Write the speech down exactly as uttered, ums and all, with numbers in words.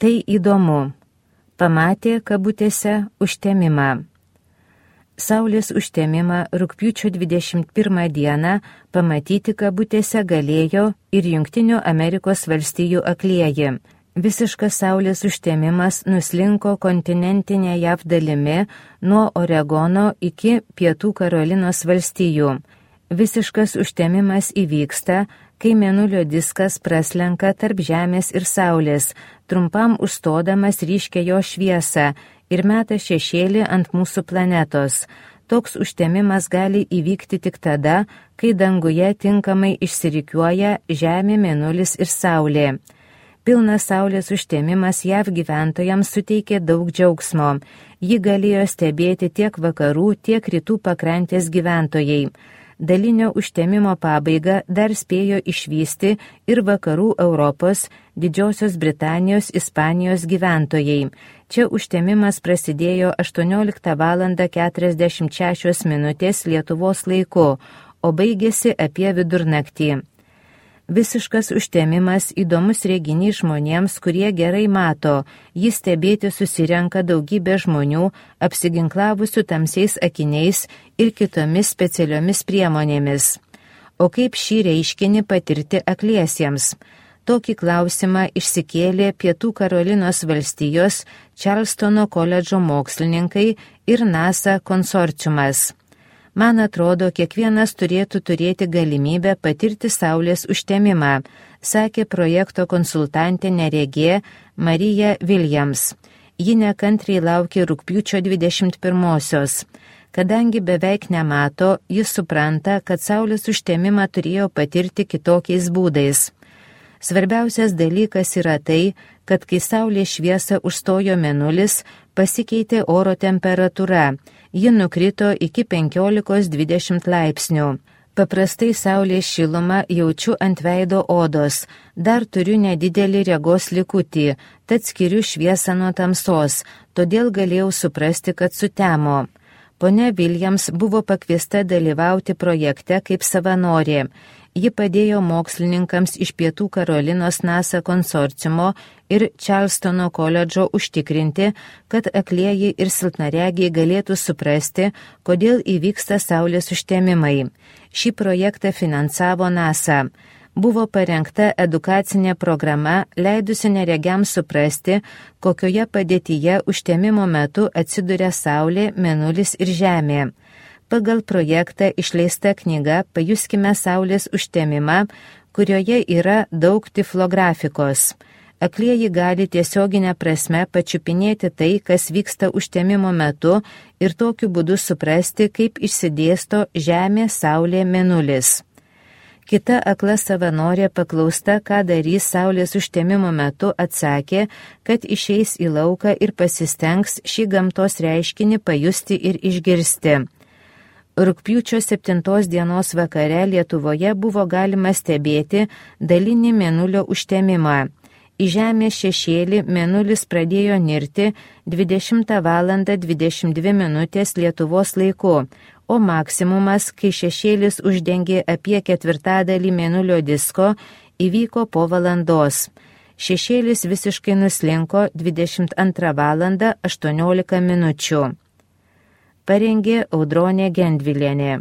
Tai įdomu. Pamatė kabutėse užtemimą. Saulės užtemimą rugpjūčio dvidešimt pirmą dieną pamatyti kabutėse galėjo ir Jungtinių Amerikos valstijų aklieji. Visiškas saulės užtemimas nuslinko kontinentinė J A V dalimi nuo Oregono iki Pietų Karolinos valstijų. Visiškas užtemimas įvyksta, kai mėnulio diskas praslenka tarp Žemės ir Saulės, trumpam užstodamas ryškę jo šviesą ir meta šešėlį ant mūsų planetos. Toks užtemimas gali įvykti tik tada, kai danguje tinkamai išsirikiuoja Žemė, Mėnulis ir Saulė. Pilnas saulės užtemimas J A V gyventojams suteikė daug džiaugsmo. Jį galėjo stebėti tiek vakarų, tiek rytų pakrantės gyventojai. Dalinio užtemimo pabaigą dar spėjo išvysti ir vakarų Europos, Didžiosios Britanijos, Ispanijos gyventojai. Čia užtemimas prasidėjo aštuonioliktą valandą keturiasdešimt šešios minutės Lietuvos laiku, o baigėsi apie vidurnaktį. Visiškas užtemimas įdomus reginys žmonėms, kurie gerai mato. Jį stebėti susirenka daugybė žmonių, apsiginklavusių tamsiais akiniais ir kitomis specialiomis priemonėmis. O kaip šį reiškinį patirti akliesiems? Tokį klausimą išsikėlė Pietų Karolinos valstijos Čarlstono koledžo mokslininkai ir NASA konsorciumas. Man atrodo, kiekvienas turėtų turėti galimybę patirti saulės užtemimą, sakė projekto konsultantė neregė Marija Williams. Ji nekantriai laukė rugpjūčio dvidešimt pirmosios. Kadangi beveik nemato, jis supranta, kad saulės užtemimą turėjo patirti kitokiais būdais. Svarbiausias dalykas yra tai, kad kai saulės šviesą užstojo mėnulis, pasikeitė oro temperatūra. Ji nukrito iki penkiolikos dvidešimt laipsnių. Paprastai saulės šilumą jaučiu ant veido odos. Dar turiu nedidelį regos likutį, tad skiriu šviesą nuo tamsos, todėl galėjau suprasti, kad sutemo. Ponia Williams buvo pakviesta dalyvauti projekte kaip savanorė. Ji padėjo mokslininkams iš Pietų Karolinos NASA konsorciumo ir Čarlstono koledžo užtikrinti, kad aklieji ir silpnaregiai galėtų suprasti, kodėl įvyksta saulės užtemimai. Šį projektą finansavo NASA. Buvo parengta edukacinė programa, leidusi neregiams suprasti, kokioje padėtyje užtemimo metu atsiduria Saulė, Mėnulis ir Žemė. Pagal projektą išleista knyga Pajuskime saulės užtemimą, kurioje yra daug tiflografikos. Aklieji gali tiesioginę prasme pačiupinėti tai, kas vyksta užtemimo metu ir tokiu būdu suprasti, kaip išsidėsto Žemė, Saulė, Mėnulis. Kita akla savanorė paklausta, ką darys saulės užtemimo metu, atsakė, kad išeis į lauką ir pasistengs šį gamtos reiškinį pajusti ir išgirsti. Rugpjūčio septintos dienos vakare Lietuvoje buvo galima stebėti dalinį mėnulio užtemimą. Į Žemės šešėlį mėnulis pradėjo nirti dvidešimtą valandą dvidešimt dvi minutės Lietuvos laiku, o maksimumas, kai šešėlis uždengė apie ketvirtadalį mėnulio disko, įvyko po valandos. Šešėlis visiškai nuslinko dvidešimt antrą valandą aštuoniolika minučių. Parengė Audronė Gendvilienė.